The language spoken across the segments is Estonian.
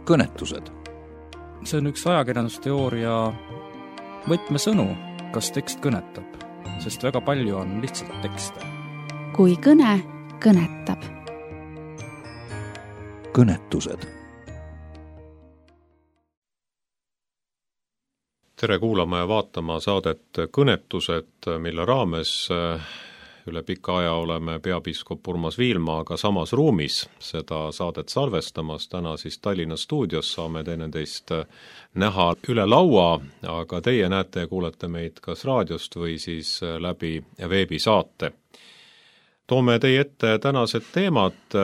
kõnetused. See on üks ajakirjandusteooria võtmesõnu, kas tekst kõnetab, sest väga palju on lihtsalt tekste. Kui kõne kõnetab. Kõnetused. Tere kuulama ja vaatama saadet Kõnetused, mille raames üle pika aja oleme peapiiskop Urmas Viilmaaga samas ruumis seda saadet salvestamas. Täna siis Tallinna stuudios saame teineteist näha üle laua, aga teie näete ja kuulete meid kas raadiost või siis läbi veebisaate. Toome teie ette tänased teemad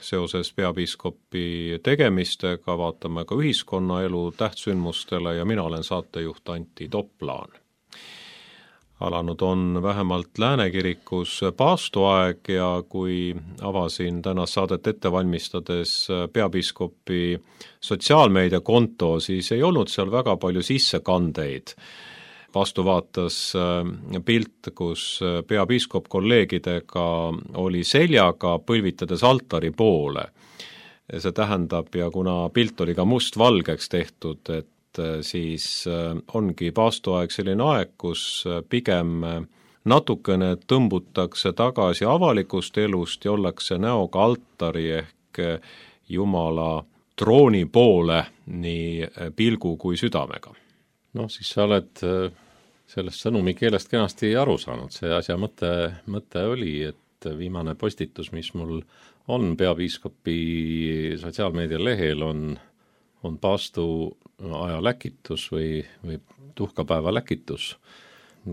seoses peapiiskopi tegemistega, vaatame ka ühiskonnaelu tähtsündmustele ja mina olen saatejuht Antti Toplaan. Alanud on vähemalt Läänekirikus paastuaeg ja kui avasin tänast saadet ette valmistades peapiiskopi sotsiaalmeediakonto, siis ei olnud seal väga palju sissekandeid. Vastu vaatas pilt, kus peapiiskop kolleegidega oli seljaga põlvitades altari poole. See tähendab, ja kuna pilt oli ka mustvalgeks tehtud, et siis ongi paastuaeg selline aeg, kus pigem natukene tõmbutakse tagasi avalikust elust ja ollakse näoga altari ehk Jumala trooni poole nii pilgu kui südamega. Siis sa oled sellest sõnumi keelest kenasti aru saanud. See asja mõte oli, et viimane postitus, mis mul on peapiiskopi sotsiaalmeedia lehel, on paastu aja läkitus või tuhkapäeva läkitus.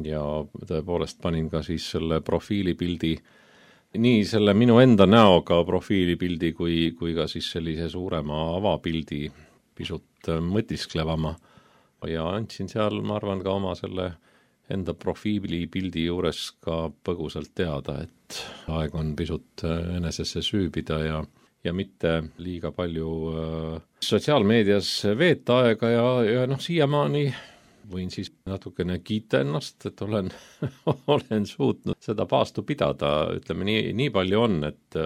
Ja tõepoolest panin ka siis selle profiilipildi, nii selle minu enda näoga profiilipildi kui ka siis sellise suurema avapildi pisut mõtisklevama. Ja andsin seal, ma arvan, ka oma selle enda profiilipildi juures ka põgusalt teada, et aeg on pisut enesesse süübida ja mitte liiga palju sotsiaalmeedias veeta aega ja siiamaani võin siis natukene kiita ennast, et olen suutnud seda paastu pidada. Ütleme, nii palju on, et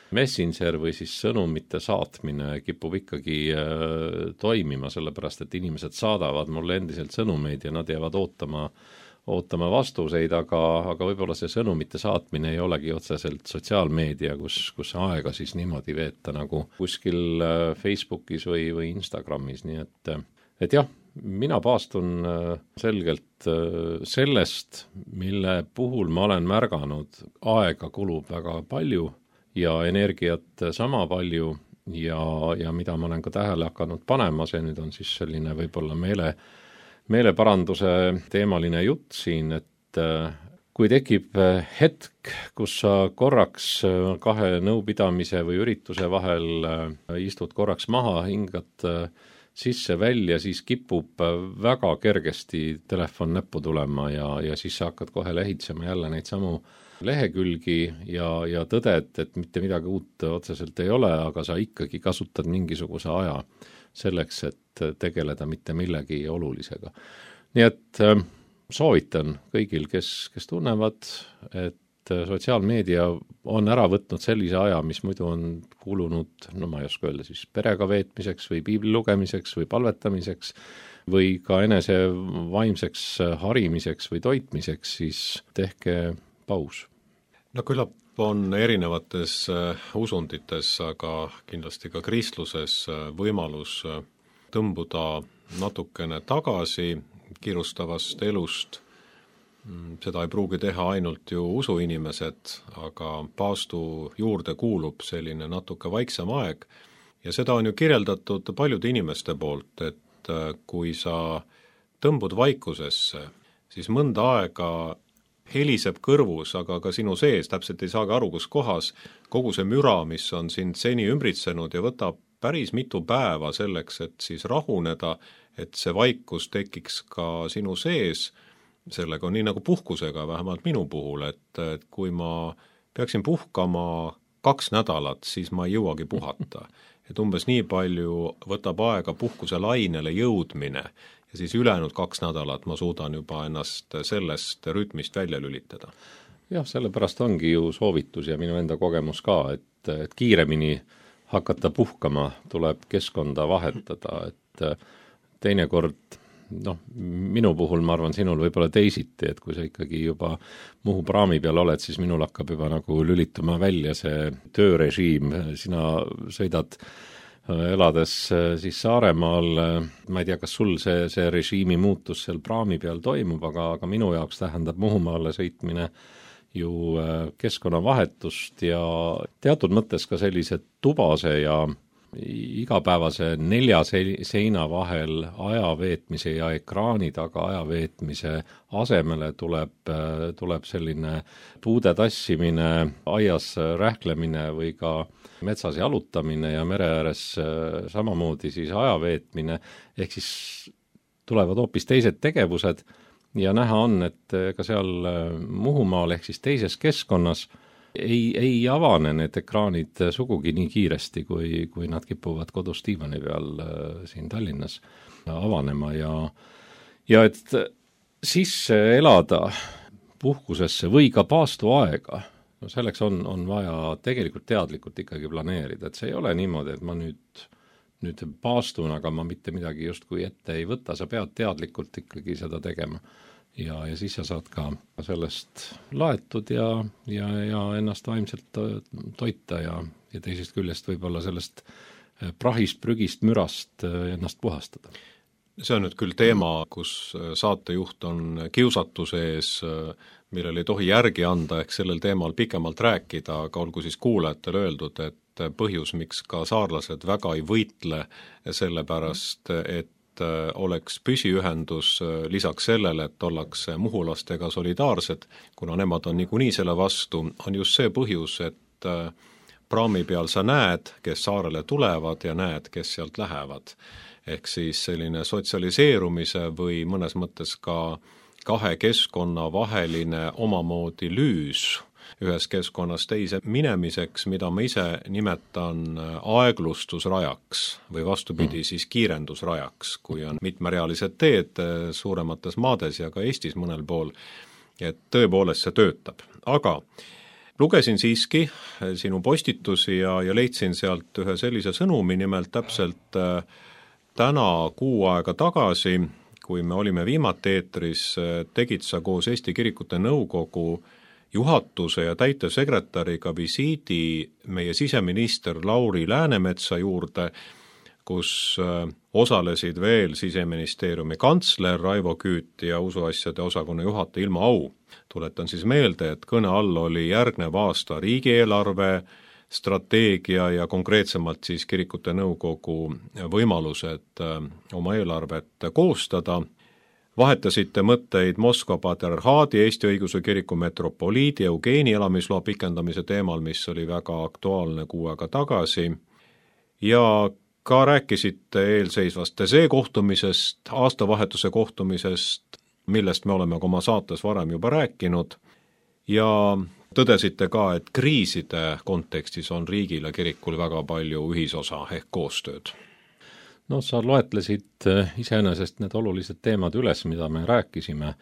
Messenger või siis sõnumite saatmine kipub ikkagi toimima, sellepärast et inimesed saadavad mulle endiselt sõnumeid ja nad jäävad ootama vastuseid, aga võib-olla see sõnumite saatmine ei olegi otseselt sotsiaalmeedia, kus aega siis niimoodi veeta nagu kuskil Facebookis või Instagramis, nii et jah, mina paastun selgelt sellest, mille puhul ma olen märganud, aega kulub väga palju ja energiat sama palju ja mida ma olen ka tähele hakanud panema, see nüüd on siis selline võib-olla meeleparanduse teemaline jutt siin, et kui tekib hetk, kus sa korraks kahe nõupidamise või ürituse vahel istud korraks maha, hingad sisse-välja, siis kipub väga kergesti telefon näppu tulema ja siis sa hakkad kohe lehitsema jälle neid samu lehekülgi ja tõded, et mitte midagi uut otseselt ei ole, aga sa ikkagi kasutad mingisuguse aja selleks, et tegeleda mitte millegi olulisega. Nii et soovitan kõigil, kes tunnevad, et sotsiaalmeedia on ära võtnud sellise aja, mis muidu on kulunud, ma ei oska öelda, siis perega veetmiseks või piibli lugemiseks või palvetamiseks või ka enese vaimseks harimiseks või toitmiseks, siis tehke paus. No küllap on erinevates usundites, aga kindlasti ka kristluses võimalus tõmbuda natukene tagasi kiirustavast elust. Seda ei pruugi teha ainult ju usuinimesed, aga paastu juurde kuulub selline natuke vaiksem aeg ja seda on ju kirjeldatud paljude inimeste poolt, et kui sa tõmbud vaikusesse, siis mõnda aega heliseb kõrvus, aga ka sinu sees, täpselt ei saagi aru, kus kohas, kogu see müra, mis on sind seni ümbritsenud ja võtab päris mitu päeva selleks, et siis rahuneda, et see vaikus tekiks ka sinu sees. Sellega on nii nagu puhkusega, vähemalt minu puhul, et kui ma peaksin puhkama 2 nädalat, siis ma ei jõuagi puhata. Et umbes nii palju võtab aega puhkuse lainele jõudmine ja siis ülejäänud 2 nädalat ma suudan juba ennast sellest rütmist välja lülitada. Jah, sellepärast ongi ju soovitus ja minu enda kogemus ka, et kiiremini hakata puhkama, tuleb keskkonda vahetada, et teinekord minu puhul ma arvan, sinul võib-olla teisiti, et kui sa ikkagi juba Muhu praami peal oled, siis minul hakkab juba nagu lülituma välja see töörežiim, sina sõidad elades siis Saaremaal, ma ei tea, kas sul see režiimi muutus seal praami peal toimub, aga minu jaoks tähendab Muhumaale sõitmine ju keskkonnavahetust ja teatud mõttes ka sellise tubase ja igapäevase 4 seina vahel aja veetmise ja ekraani taga aja veetmise asemele tuleb selline puude tassimine, aias rähklemine või ka metsas jalutamine ja mere ääres samamoodi siis aja veetmine, ehk siis tulevad hoopis teised tegevused ja näha on, et ka seal Muhumaal ehk siis teises keskkonnas ei avane need ekraanid sugugi nii kiiresti, kui nad kipuvad kodus diivani peal siin Tallinnas avanema ja et sisse elada puhkusesse või ka paastuaega, selleks on vaja tegelikult teadlikult ikkagi planeerida, et see ei ole niimoodi, et ma nüüd paastun, aga ma mitte midagi justkui ette ei võta, sa pead teadlikult ikkagi seda tegema. Ja siis sa saad ka sellest laetud ja ennast vaimselt toita ja teisest küljest võib-olla sellest prahist, prügist, mürast ennast puhastada. See on nüüd küll teema, kus saatejuht on kiusatuse ees, millel ei tohi järgi anda, ehk sellel teemal pikemalt rääkida, aga olgu siis kuulajatele öeldud, et põhjus, miks ka saarlased väga ei võitle sellepärast, et oleks püsiühendus lisaks sellele, et ollakse muhulastega solidaarsed, kuna nemad on niikuinii selle vastu, on just see põhjus, et praami peal sa näed, kes saarele tulevad ja näed, kes sealt lähevad. Ehk siis selline sotsialiseerumise või mõnes mõttes ka 2 keskkonna vaheline omamoodi lüüs ühes keskkonnas teise minemiseks, mida ma ise nimetan aeglustusrajaks või vastupidi siis kiirendusrajaks, kui on mitmerealised teed suuremates maades ja ka Eestis mõnel pool, et tõepoolest see töötab. Aga lugesin siiski sinu postitusi ja leidsin sealt ühe sellise sõnumi, nimelt täpselt täna kuu aega tagasi, kui me olime viimati eetris, tegid sa koos Eesti Kirikute Nõukogu juhatuse ja täitevsekretäriga visiidi meie siseminister Lauri Läänemetsa juurde, kus osalesid veel Siseministeeriumi kantsler Raivo Küüt ja usuasjade osakonna juhataja Ilmo Au. Tuletan siis meelde, et kõne all oli järgnev aasta riigieelarve, strateegia ja konkreetsemalt siis Kirikute Nõukogu võimalused oma eelarvet koostada. Vahetasite mõtteid Moskva patriarhaadi, Eesti Õigeusu Kiriku metropoliidi Eugeeni elamisloa pikendamise teemal, mis oli väga aktuaalne kuu aega tagasi, ja ka rääkisite eelseisvast TSE kohtumisest, aastavahetuse kohtumisest, millest me oleme oma saates varem juba rääkinud, ja tõdesite ka, et kriiside kontekstis on riigil ja kirikul väga palju ühisosa ehk koostööd. Sa loetlesid iseenesest need olulised teemad üles, mida me rääkisime.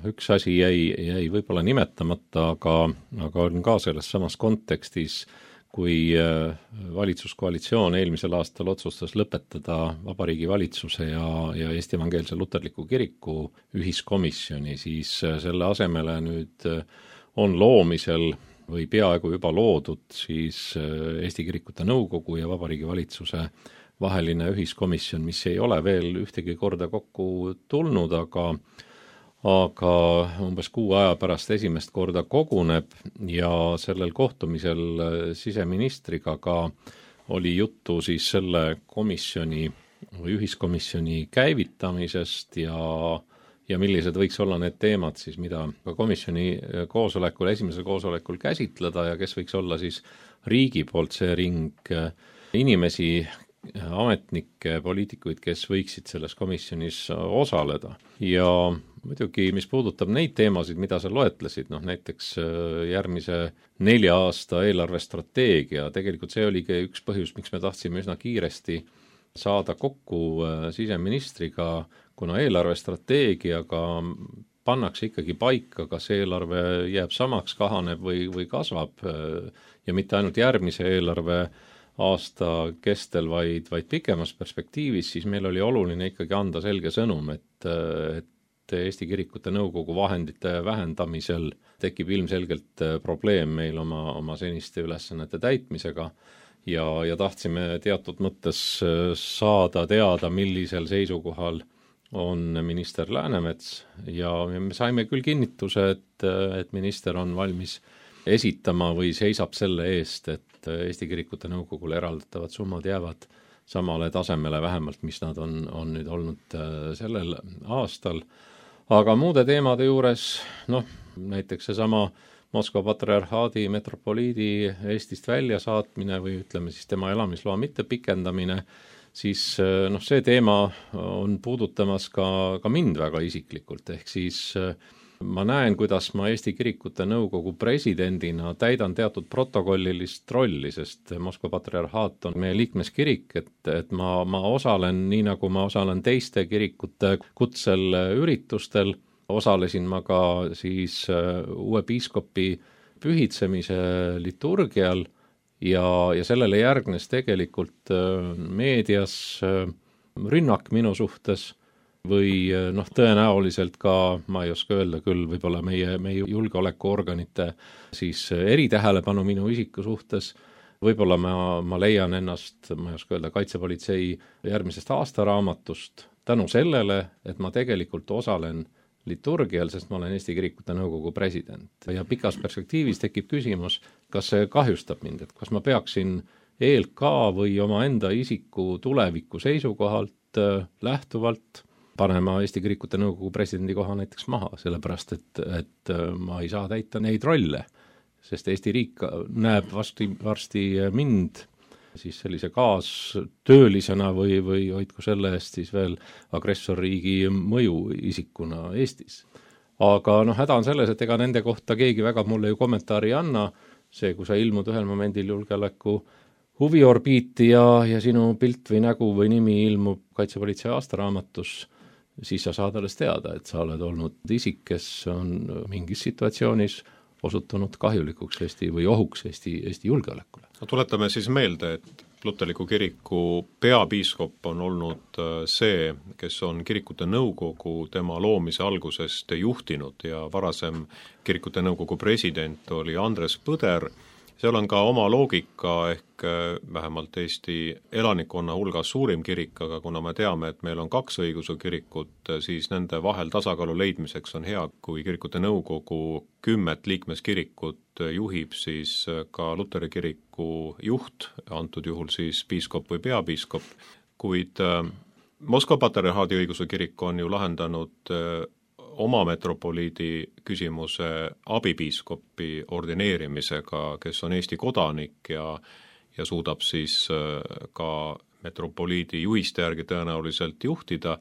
Üks asi jäi võib-olla nimetamata, aga on ka selles samas kontekstis, kui valitsuskoalitsioon eelmisel aastal otsustas lõpetada Vabariigi Valitsuse ja Eesti Evangeelse Luterliku Kiriku ühiskomisjoni, siis selle asemele nüüd on loomisel või peaaegu juba loodud siis Eesti Kirikute Nõukogu ja Vabariigi Valitsuse vaheline ühiskomisjon, mis ei ole veel ühtegi korda kokku tulnud, aga umbes kuu aja pärast esimest korda koguneb ja sellel kohtumisel siseministriga ka oli juttu siis selle komisjoni või ühiskomisjoni käivitamisest ja millised võiks olla need teemad siis, mida ka komisjoni koosolekul, esimesel koosolekul käsitleda ja kes võiks olla siis riigi poolt see ring inimesi, ametnikke, poliitikuid, kes võiksid selles komisjonis osaleda. Ja muidugi, mis puudutab neid teemasid, mida sa loetlesid, näiteks järgmise 4 aasta eelarvestrateegia, tegelikult see oligi üks põhjus, miks me tahtsime üsna kiiresti saada kokku siseministriga, kuna eelarvestrateegiaga pannakse ikkagi paika, kas eelarve jääb samaks, kahaneb või kasvab ja mitte ainult järgmise eelarve aasta kestel, vaid pikemas perspektiivis, siis meil oli oluline ikkagi anda selge sõnum, et Eesti Kirikute Nõukogu vahendite vähendamisel tekib ilmselgelt probleem meil oma seniste ülesannete täitmisega ja tahtsime teatud mõttes saada teada, millisel seisukohal on minister Läänemets ja me saime küll kinnituse, et minister on valmis esitama või seisab selle eest, et Eesti Kirikute Nõukogule eraldatavad summad jäävad samale tasemele vähemalt, mis nad on nüüd olnud sellel aastal. Aga muude teemade juures, näiteks seesama Moskva patriarhaadi metropoliidi Eestist välja saatmine või ütleme siis tema elamisloa mitte pikendamine, siis see teema on puudutamas ka mind väga isiklikult, ehk siis ma näen, kuidas ma Eesti Kirikute Nõukogu presidendina täidan teatud protokollilist rolli, sest Moskva patriarhaat on meie liikmeskirik, et ma osalen, nii nagu ma osalen teiste kirikute kutsel üritustel, osalesin ma ka siis uue piiskopi pühitsemise liturgial ja sellele järgnes tegelikult meedias rünnak minu suhtes, või tõenäoliselt ka, ma ei oska öelda küll, võib-olla meie julgeolekuorganite siis eritähelepanu minu isiku suhtes, võib-olla ma leian ennast, ma ei oska öelda, kaitsepolitsei järgmisest aastaraamatust tänu sellele, et ma tegelikult osalen liturgial, sest ma olen Eesti Kirikute Nõukogu president. Ja pikas perspektiivis tekib küsimus, kas see kahjustab mind, et kas ma peaksin ELK või oma enda isiku tuleviku seisukohalt lähtuvalt panema Eesti Kirikute Nõukogu presidendi koha näiteks maha, sellepärast et ma ei saa täita neid rolle, sest Eesti riik näeb varsti mind siis sellise kaastöölisena või hoidku selle eest siis veel agressorriigi mõjuisikuna Eestis. Aga häda on selles, et ega nende kohta keegi väga mulle ju kommentaari ei anna, see, kui sa ilmud ühel momendil julgeoleku huviorbiiti ja sinu pilt või nägu või nimi ilmub kaitsepolitsei aastaraamatus, siis sa saad alles teada, et sa oled olnud isik, kes on mingis situatsioonis osutunud kahjulikuks Eesti või ohuks Eesti julgeolekule. Tuletame siis meelde, et Luterliku kiriku peapiiskop on olnud see, kes on Kirikute Nõukogu tema loomise algusest juhtinud ja varasem Kirikute Nõukogu president oli Andres Põder. Seal on ka oma loogika ehk vähemalt Eesti elanikkonna hulgas suurim kirik, aga kuna me teame, et meil on 2 õigeusu kirikut, siis nende vahel tasakaalu leidmiseks on hea, kui Kirikute Nõukogu 10 liikmeskirikut juhib siis ka Luteri kiriku juht, antud juhul siis piiskop või peapiiskop, kuid Moskva patriarhaadi õigeusu kirik on ju lahendanud oma metropoliidi küsimuse abipiiskopi ordineerimisega, kes on Eesti kodanik ja suudab siis ka metropoliidi juhiste järgi tõenäoliselt juhtida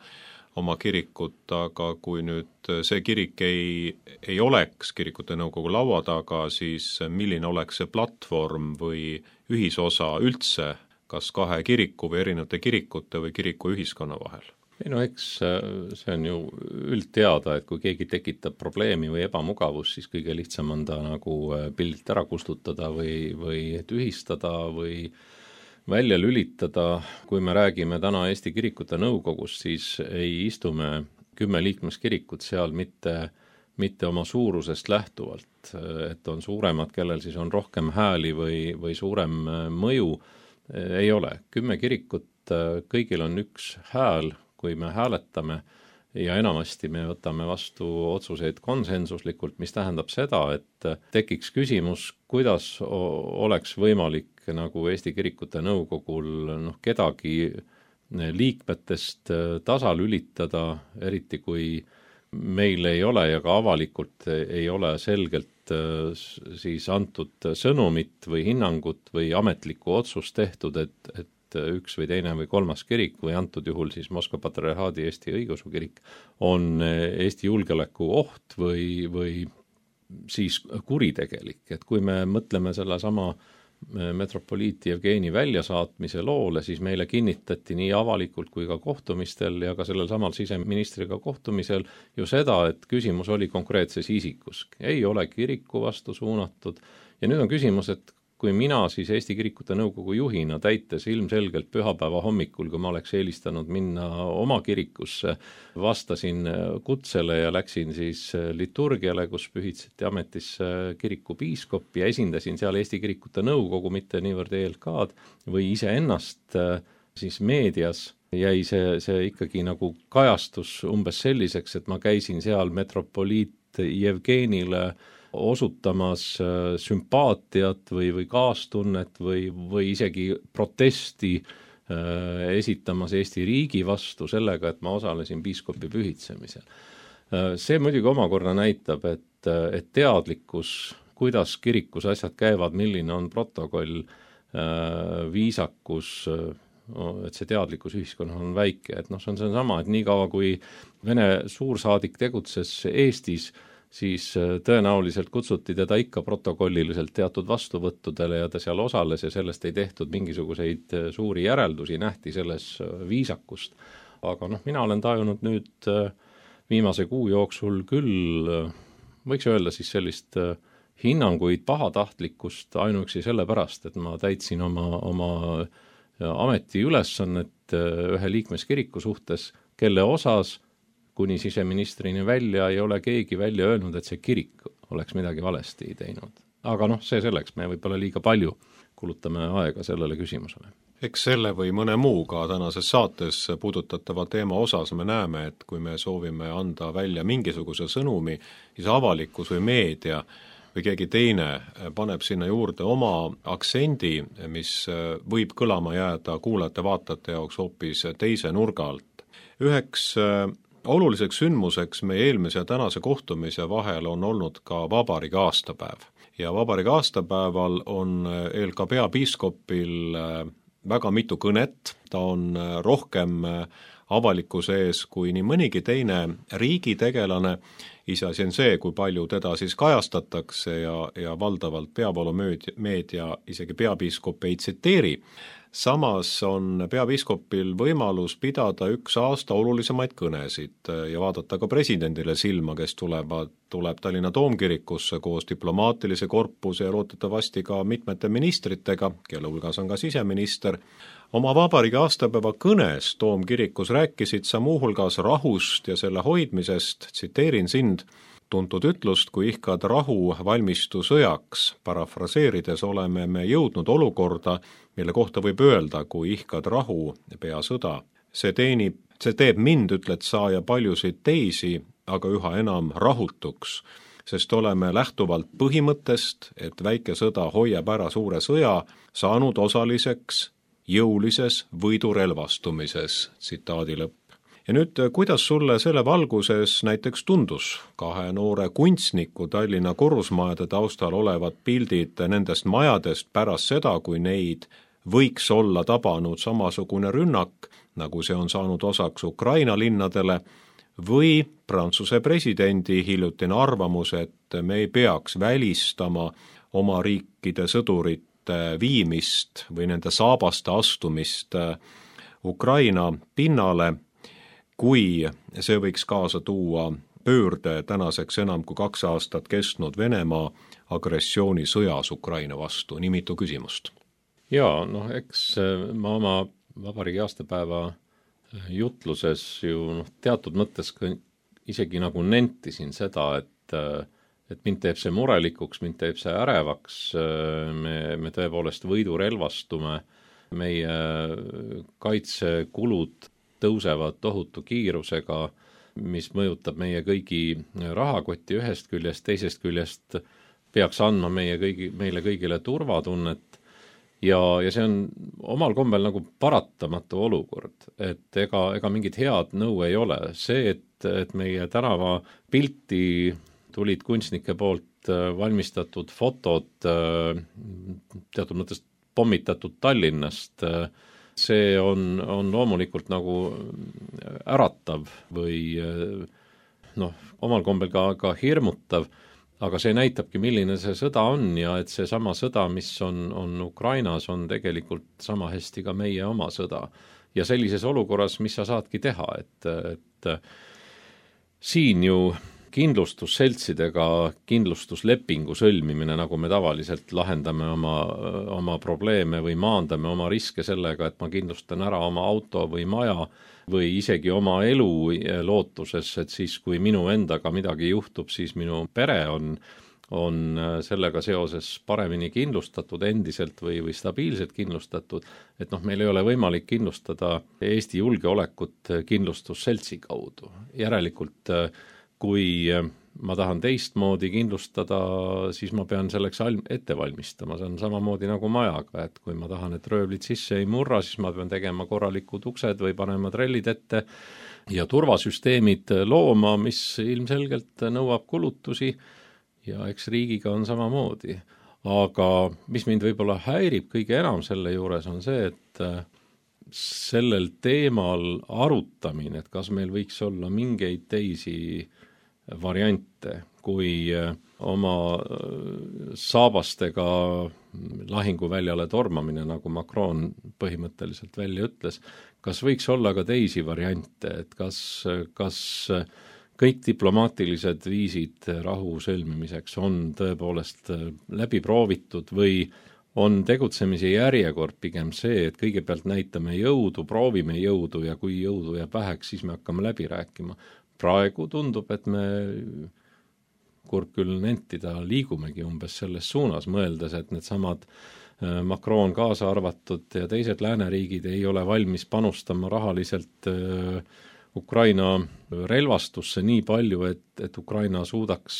oma kirikut, aga kui nüüd see kirik ei oleks Kirikute Nõukogu laua taga, siis milline oleks see platvorm või ühisosa üldse, kas 2 kiriku või erinevate kirikute või kiriku ühiskonna vahel? Eks see on ju üldteada, et kui keegi tekitab probleemi või ebamugavust, siis kõige lihtsam on ta nagu pildilt ära kustutada või tühistada või välja lülitada. Kui me räägime täna Eesti Kirikute Nõukogust, siis ei istume 10 liikmeskirikut seal mitte oma suurusest lähtuvalt, et on suuremad, kellel siis on rohkem hääli või suurem mõju, ei ole. 10 kirikut, kõigil on üks hääl, kui me hääletame ja enamasti me võtame vastu otsuseid konsensuslikult, mis tähendab seda, et tekiks küsimus, kuidas oleks võimalik nagu Eesti Kirikute Nõukogul kedagi liikmetest tasalülitada, eriti kui meil ei ole ja ka avalikult ei ole selgelt siis antud sõnumit või hinnangut või ametlikku otsust tehtud, et üks või teine või 3. kirik või antud juhul siis Moskva patriarhaadi Eesti õigeusu kirik on Eesti julgeoleku oht või siis kuritegelik. Et kui me mõtleme selle sama metropoliit Jevgeni väljasaatmise loole, siis meile kinnitati nii avalikult kui ka kohtumistel ja ka sellel samal siseministriga kohtumisel ju seda, et küsimus oli konkreetses isikus. Ei ole kiriku vastu suunatud ja nüüd on küsimus, et kui mina siis Eesti Kirikute Nõukogu juhina täites ilmselgelt pühapäeva hommikul, kui ma oleks eelistanud minna oma kirikusse, vastasin kutsele ja läksin siis liturgiale, kus pühitseti ametisse kirikupiiskop ja esindasin seal Eesti Kirikute Nõukogu, mitte niivõrd ELK-d või iseennast, siis meedias jäi see ikkagi nagu kajastus umbes selliseks, et ma käisin seal metropoliit Jevgenile osutamas sümpaatiat või kaastunnet või isegi protesti esitamas Eesti riigi vastu sellega, et ma osalesin piiskopi pühitsemisel. See muidugi omakorda näitab, et teadlikkus, kuidas kirikus asjad käivad, milline on protokoll, viisakus, et see teadlikkus ühiskonnal on väike, et see on sama, et niikaua kui Vene suursaadik tegutses Eestis, siis tõenäoliselt kutsuti teda ikka protokolliliselt teatud vastuvõttudele ja ta seal osales ja sellest ei tehtud mingisuguseid suuri järeldusi, nähti selles viisakust. Aga mina olen tajunud nüüd viimase kuu jooksul küll, võiks öelda siis sellist hinnanguid pahatahtlikkust ainuüksi sellepärast, et ma täitsin oma ametiülesannet ühe liikmeskiriku suhtes, kelle osas kuni siseministrini välja ei ole keegi välja öelnud, et see kirik oleks midagi valesti teinud. Aga see selleks, me võib-olla liiga palju kulutame aega sellele küsimusele. Eks selle või mõne muuga tänases saates puudutatava teema osas me näeme, et kui me soovime anda välja mingisuguse sõnumi, siis avalikkus või meedia või keegi teine paneb sinna juurde oma aktsendi, mis võib kõlama jääda kuulajate-vaatajate jaoks hoopis teise nurga alt. Üheks oluliseks sündmuseks meie eelmise ja tänase kohtumise vahel on olnud ka vabariigi aastapäev. Ja vabariigi aastapäeval on ELK peapiiskopil väga mitu kõnet, ta on rohkem avalikkuse ees kui nii mõnigi teine riigitegelane, iseasi on see, kui palju teda siis kajastatakse ja valdavalt peavoolumeedia isegi peapiiskop ei tsiteeri. Samas on peapiiskopil võimalus pidada üks aasta olulisemaid kõnesid ja vaadata ka presidendile silma, kes tuleb Tallinna Toomkirikusse koos diplomaatilise korpuse ja lootetavasti ka mitmete ministritega, kelle hulgas on ka siseminister. Oma vabariigi aastapäeva kõnes Toomkirikus rääkisid sa muuhulgas rahust ja selle hoidmisest, tsiteerin sind, tuntud ütlust, kui ihkad rahu, valmistu sõjaks. Parafraseerides oleme me jõudnud olukorda, mille kohta võib öelda, kui ihkad rahu, pea sõda. See teeb mind, ütled sa, ja paljusid teisi, aga üha enam rahutuks, sest oleme lähtuvalt põhimõttest, et väike sõda hoiab ära suure sõja, saanud osaliseks jõulises võidurelvastumises, tsitaadi lõpp. Ja nüüd, kuidas sulle selle valguses näiteks tundus kahe noore kunstniku Tallinna korrusmajade taustal olevad pildid nendest majadest pärast seda, kui neid võiks olla tabanud samasugune rünnak, nagu see on saanud osaks Ukraina linnadele, või Prantsuse presidendi hiljutine arvamus, et me ei peaks välistama oma riikide sõdurite viimist või nende saabaste astumist Ukraina pinnale, kui see võiks kaasa tuua pöörde tänaseks enam kui 2 aastat kestnud Venemaa agressioonisõjas Ukraina vastu. Nii mitu küsimust. Jaa, eks ma oma vabariigi aastapäeva jutluses ju teatud mõttes isegi nagu nentisin seda, et mind teeb see murelikuks, mind teeb see ärevaks, me tõepoolest võidurelvastume, meie kaitsekulud tõusevad tohutu kiirusega, mis mõjutab meie kõigi rahakoti ühest küljest, teisest küljest peaks andma meile kõigile turvatunnet ja see on omal kombel nagu paratamatu olukord, et ega mingit head nõu ei ole. See, et meie tänava pilti tulid kunstnike poolt valmistatud fotod teatud mõttes pommitatud Tallinnast, see on loomulikult nagu äratav või omal kombel ka hirmutav, aga see näitabki, milline see sõda on ja et see sama sõda, mis on Ukrainas, on tegelikult sama hästi ka meie oma sõda. Ja sellises olukorras, mis sa saadki teha, et siin ju kindlustusseltsidega kindlustuslepingu sõlmimine, nagu me tavaliselt lahendame oma probleeme või maandame oma riske sellega, et ma kindlustan ära oma auto või maja või isegi oma elu lootuses, et siis, kui minu endaga midagi juhtub, siis minu pere on sellega seoses paremini kindlustatud endiselt või stabiilselt kindlustatud, et meil ei ole võimalik kindlustada Eesti julgeolekut kindlustusseltsi kaudu. Järelikult, kui ma tahan teistmoodi kindlustada, siis ma pean selleks ette valmistama. See on samamoodi nagu majaga, et kui ma tahan, et röövlid sisse ei murra, siis ma pean tegema korralikud uksed või panema trellid ette ja turvasüsteemid looma, mis ilmselgelt nõuab kulutusi. Ja eks riigiga on samamoodi. Aga mis mind võib-olla häirib kõige enam selle juures on see, et sellel teemal arutamine, et kas meil võiks olla mingeid teisi variante, kui oma saabastega lahinguväljale tormamine, nagu Macron põhimõtteliselt välja ütles, kas võiks olla ka teisi variante, et kas kõik diplomaatilised viisid rahu sõlmimiseks on tõepoolest läbi proovitud või on tegutsemise järjekord pigem see, et kõigepealt näitame jõudu, proovime jõudu ja kui jõudu jääb väheks, siis me hakkame läbi rääkima. Praegu tundub, et me, kurb küll nentida, liigumegi umbes selles suunas, mõeldes, et need samad Macron kaasa arvatud ja teised lääneriigid ei ole valmis panustama rahaliselt Ukraina relvastusse nii palju, et Ukraina suudaks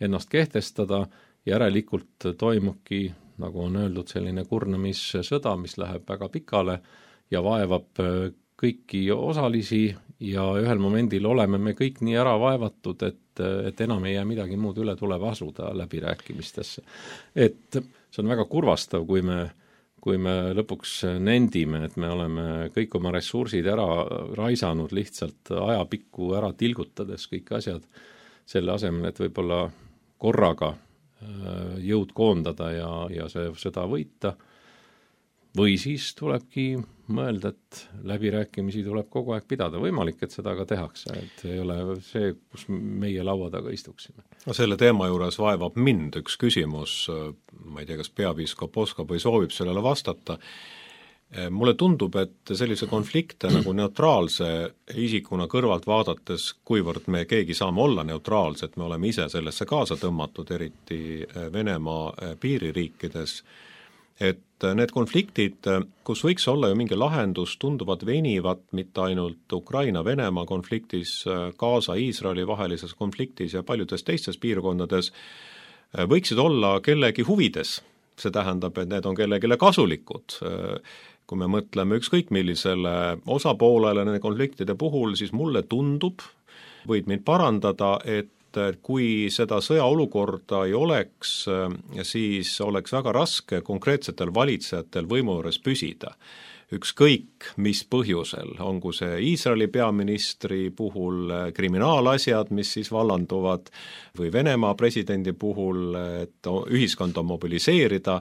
ennast kehtestada, järelikult toimubki, nagu on öeldud, selline kurnamissõda, mis läheb väga pikale ja vaevab kõiki osalisi ja ühel momendil oleme me kõik nii ära vaevatud, et enam ei jää midagi muud üle, tuleb asuda läbirääkimistesse. Et see on väga kurvastav, kui me lõpuks nendime, et me oleme kõik oma ressursid ära raisanud lihtsalt ajapikku ära tilgutades kõik asjad selle asemel, et võib-olla korraga jõud koondada ja seda võita. Või siis tulebki mõelda, et läbirääkimisi tuleb kogu aeg pidada. Võimalik, et seda ka tehakse, et ei ole see, kus meie laua taga istuksime. No selle teema juures vaevab mind üks küsimus, ma ei tea, kas peapiiskop oskab või soovib sellele vastata. Mulle tundub, et sellise konflikte nagu neutraalse isikuna kõrvalt vaadates, kuivõrd me keegi saame olla neutraalsed, me oleme ise sellesse kaasa tõmmatud, eriti Venemaa piiririikides, et need konfliktid, kus võiks olla ju mingi lahendus, tunduvad venivat mitte ainult Ukraina-Venemaa konfliktis, Gaza-Iisraeli vahelises konfliktis ja paljudes teistes piirkondades, võiksid olla kellegi huvides. See tähendab, et need on kellegile kasulikud. Kui me mõtleme ükskõik millisele osapoolele nende konfliktide puhul, siis mulle tundub, võid mind parandada, et kui seda sõjaolukorda ei oleks, siis oleks väga raske konkreetsetel valitsejatel võimu juures püsida. Ükskõik mis põhjusel, ongu see Iisraeli peaministri puhul kriminaalasjad, mis siis vallanduvad, või Venemaa presidendi puhul, et ühiskond on mobiliseerida,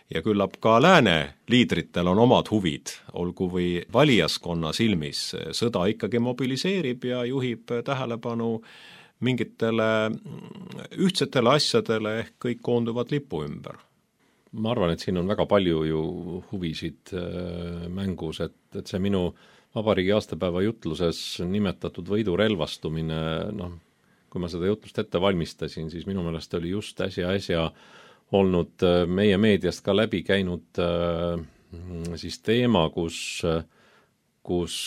ja küllap ka lääne liidritel on omad huvid, olgu või valijaskonna silmis. Sõda ikkagi mobiliseerib ja juhib tähelepanu mingitele ühtsetele asjadele, ehk kõik koonduvad lipu ümber. Ma arvan, et siin on väga palju ju huvisid mängus, et see minu vabariigi aastapäeva jutluses nimetatud võidurelvastumine, kui ma seda jutlust ette valmistasin, siis minu meelest oli just äsja olnud meie meediast ka läbi käinud siis teema, kus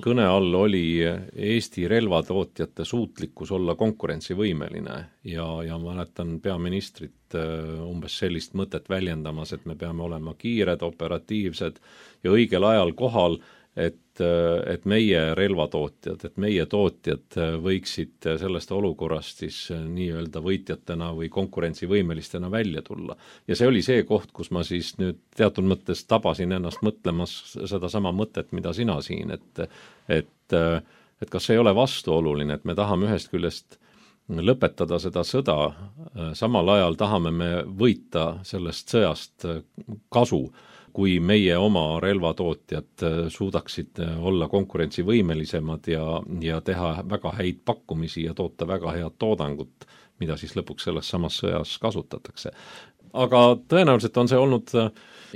kõne all oli Eesti relvatootjate suutlikkus olla konkurentsivõimeline ja mäletan peaministrit umbes sellist mõtet väljendamas, et me peame olema kiired, operatiivsed ja õigel ajal kohal, et meie relvatootjad, et meie tootjad võiksid sellest olukorrast siis nii-öelda võitjatena või konkurentsivõimelistena välja tulla. Ja see oli see koht, kus ma siis nüüd teatud mõttes tabasin ennast mõtlemas seda sama mõtet, mida sina siin, et kas see ei ole vastuoluline, et me tahame ühest küljest lõpetada seda sõda, samal ajal tahame me võita sellest sõjast kasu. kui meie oma relvatootjad suudaksid olla konkurentsivõimelisemad ja teha väga häid pakkumisi ja toota väga head toodangut, mida siis lõpuks selles samas sõjas kasutatakse. Aga tõenäoliselt on see olnud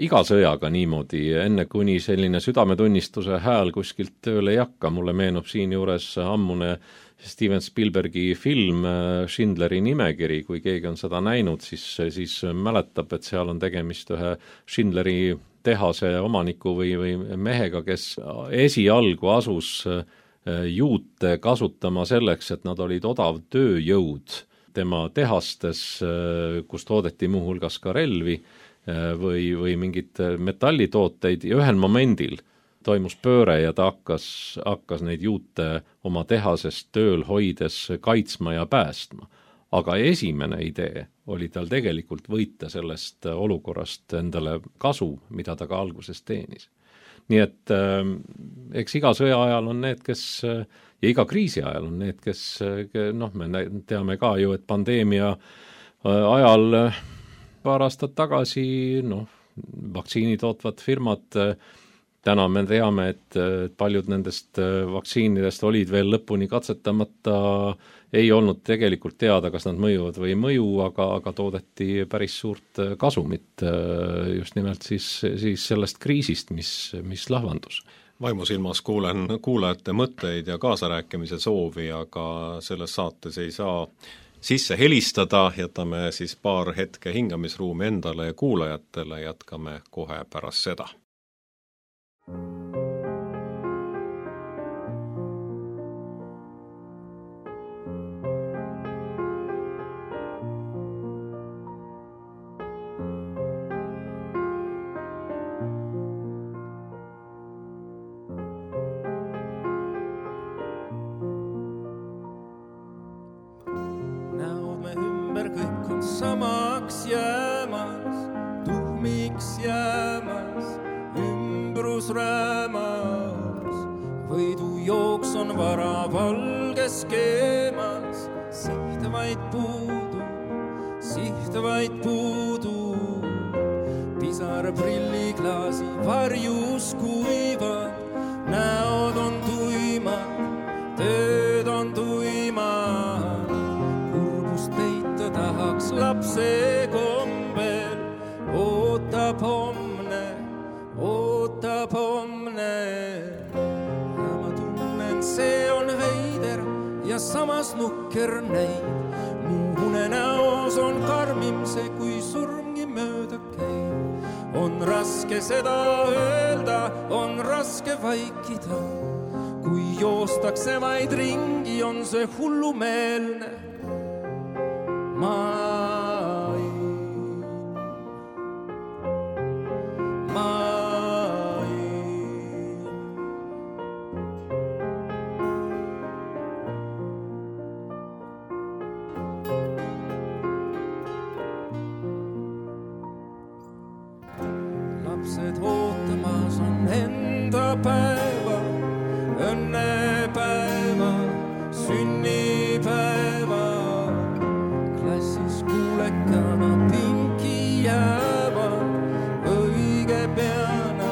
iga sõjaga niimoodi, enne kuni selline südametunnistuse hääl kuskilt tööle ei hakka. Mulle meenub siin juures ammune Steven Spielbergi film Schindleri nimekiri, kui keegi on seda näinud, siis mäletab, et seal on tegemist ühe Schindleri tehase omaniku või mehega, kes esialgu asus juute kasutama selleks, et nad olid odav tööjõud tema tehastes, kus toodeti muuhulgas ka relvi või mingid metallitooteid ja ühel momendil toimus pööre ja ta hakkas neid juute oma tehasest tööl hoides kaitsma ja päästma. Aga esimene idee oli tal tegelikult võita sellest olukorrast endale kasu, mida ta ka alguses teenis. Nii et eks iga sõja ajal on need, kes ja iga kriisi ajal on need, kes me teame ka ju, et pandeemia ajal paar aastat tagasi vaktsiini tootvad firmad, täna me teame, et paljud nendest vaktsiinidest olid veel lõpuni katsetamata, ei olnud tegelikult teada, kas nad mõjuvad või ei mõju, aga toodeti päris suurt kasumit just nimelt siis sellest kriisist, mis lahvandus. Vaimusilmas kuulen kuulajate mõtteid ja kaasarääkimise soovi, aga selles saates ei saa sisse helistada, jätame siis paar hetke hingamisruumi endale ja kuulajatele, jätkame kohe pärast seda. Samaks jäämas, tuhmiks jäämas, ümbrus räämas, võidujooks on vara valges keemas, siht vaid puudu, pisar prilliklaasi varjus kuivad, näod on tuimad, tööd on tuimad, kurbust peita tahaks lapse kombel, ootab homne ja ma tunnen, see on veider ja samas nukker näib, mu unenäos on karmim see, kui surmgi mööda käib. On raske seda öelda, on raske vaikida, kui joostakse vaid ringi, on see hullumeelne lapsed ootamas on enda päeva, õnnepäeva, sünnipäeva, klassis kuulekana pinki jääva, õige peana,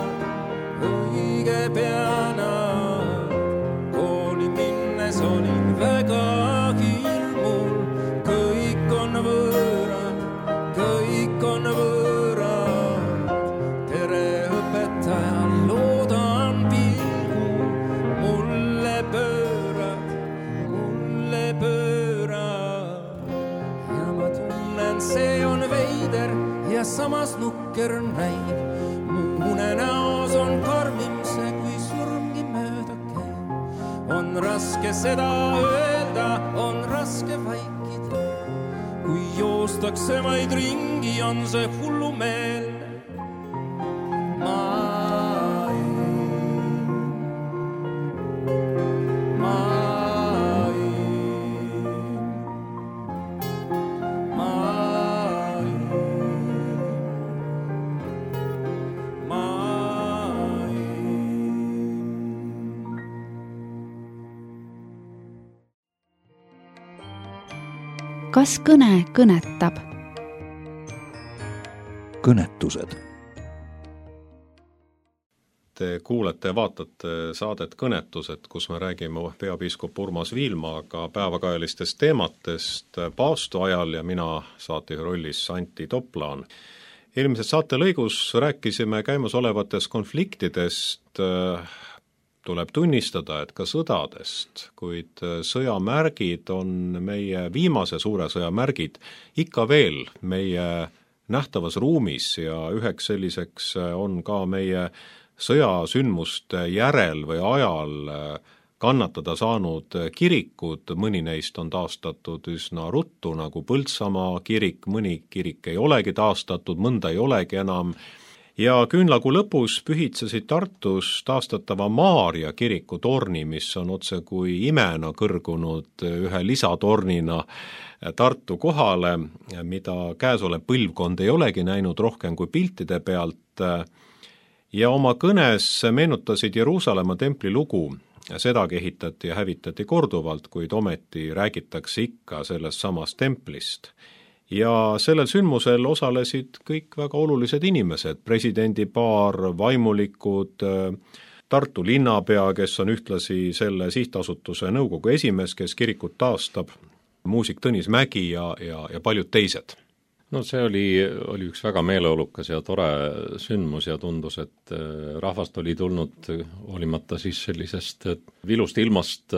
kooli minnes olin väga hirmul, kõik on võõrad, tere õpetajal loodan pilgu, mulle pöörad ja ma tunnen, see on veider ja samas nukker näib, mu unenäos on karmim see, kui surmgi mööda käib. On raske seda öelda, on raske vaikida, kui joostakse vaid ringi, on see hullumeelne Kas kõne kõnetab? Kõnetused. Te kuulete ja vaatate saadet Kõnetused, kus me räägime peapiiskop Urmas Viilmaaga päevakajalistest teematest paastu ajal ja mina saatejuhi rollis Antti Toplaan. Eelmises saatelõigus rääkisime käimasolevatest konfliktidest, tuleb tunnistada, et ka sõdadest, kuid sõjamärgid on meie viimase suure sõja märgid ikka veel meie nähtavas ruumis ja üheks selliseks on ka meie sõjasündmuste järel või ajal kannatada saanud kirikud, mõni neist on taastatud üsna ruttu, nagu Põltsamaa kirik, mõni kirik ei olegi taastatud, mõnda ei olegi enam, ja küünlakuu lõpus pühitsesid Tartus taastatava Maarja kiriku torni, mis on otse kui imena kõrgunud ühe lisatornina Tartu kohale, mida käesolev põlvkond ei olegi näinud rohkem kui piltide pealt, ja oma kõnes meenutasid Jeruusalemma templi lugu. Sedagi ehitati ja hävitati korduvalt, kuid ometi räägitakse ikka sellest samast templist. Ja sellel sündmusel osalesid kõik väga olulised inimesed, presidendipaar, vaimulikud, Tartu linnapea, kes on ühtlasi selle sihtasutuse nõukogu esimees, kes kirikut taastab, muusik Tõnis Mägi ja paljud teised. No see oli üks väga meeleolukas ja tore sündmus ja tundus, et rahvast oli tulnud hoolimata siis sellisest vilust ilmast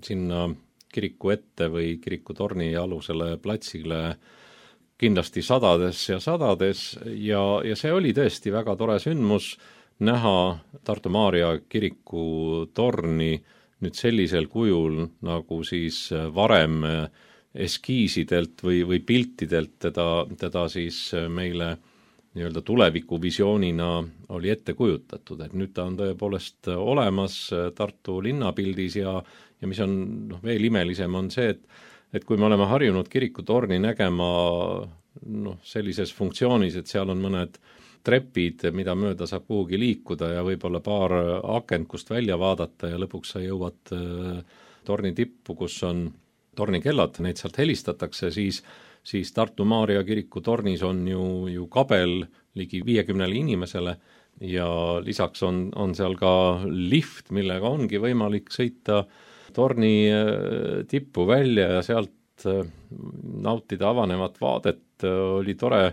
sinna kiriku ette või kiriku torni alusele platsile kindlasti sadades ja see oli tõesti väga tore sündmus näha Tartu Maarja kiriku torni nüüd sellisel kujul, nagu siis varem eskiisidelt või piltidelt teda siis meile nii-öelda tulevikuvisioonina oli ette kujutatud, et nüüd ta on tõepoolest olemas Tartu linnapildis ja mis on veel imelisem on see, et kui me oleme harjunud kirikutorni nägema sellises funktsioonis, et seal on mõned trepid, mida mööda saab kuhugi liikuda ja võib-olla paar akent, kust välja vaadata ja lõpuks sa jõuad torni tippu, kus on tornikellad, neid sealt helistatakse, siis Tartu Maarja kiriku tornis on ju kabel ligi 50 inimesele ja lisaks on seal ka lift, millega ongi võimalik sõita torni tippu välja ja sealt nautida avanevat vaadet. Oli tore